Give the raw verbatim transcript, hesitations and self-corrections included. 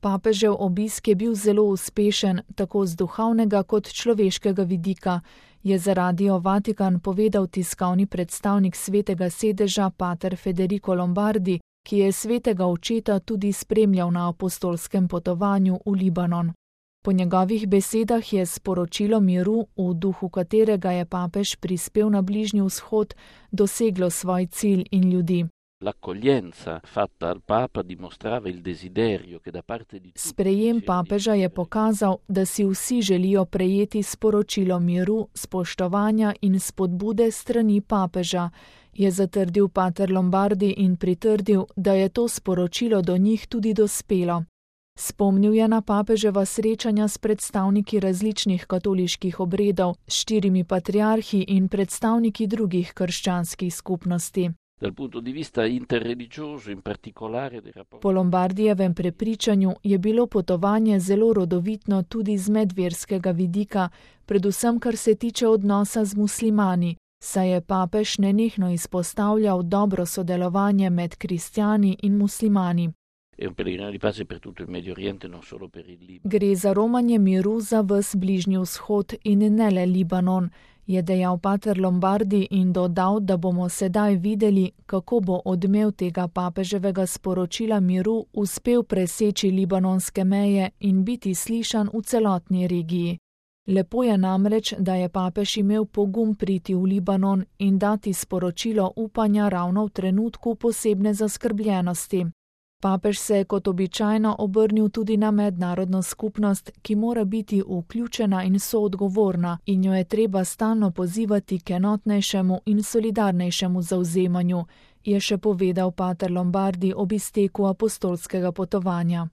Papežev obisk je bil zelo uspešen, tako z duhovnega kot človeškega vidika, je za Radio Vatikan povedal tiskovni predstavnik Svetega sedeža pater Federico Lombardi, ki je svetega očeta tudi spremljal na apostolskem potovanju v Libanon. Po njegovih besedah je sporočilo miru, v duhu katerega je papež prispel na Bližnji vzhod, doseglo svoj cilj in ljudi. Sprejem papeža je pokazal, da si vsi želijo prejeti sporočilo miru, spoštovanja in spodbude strani papeža, je zatrdil pater Lombardi in pritrdil, da je to sporočilo do njih tudi dospelo. Spomnil je na papeževa srečanja s predstavniki različnih katoliških obredov, s štirimi patriarhi in predstavniki drugih krščanskih skupnosti. Po Lombardijevem prepričanju je bilo potovanje zelo rodovitno tudi z medverskega vidika, predvsem kar se tiče odnosa z muslimani, saj je papež nenehno izpostavljal dobro sodelovanje med kristjani in muslimani. Gre za romanje miru za ves Bližnji vzhod in ne le Libanon, je dejal pater Lombardi in dodal, da bomo sedaj videli, kako bo odmev tega papeževega sporočila miru uspel preseči libanonske meje in biti slišan v celotni regiji. Lepo je namreč, da je papež imel pogum priti v Libanon in dati sporočilo upanja ravno v trenutku posebne zaskrbljenosti. Papež se je kot običajno obrnil tudi na mednarodno skupnost, ki mora biti vključena in soodgovorna in jo je treba stalno pozivati k enotnejšemu in solidarnejšemu zavzemanju, je še povedal pater Lombardi ob izteku apostolskega potovanja.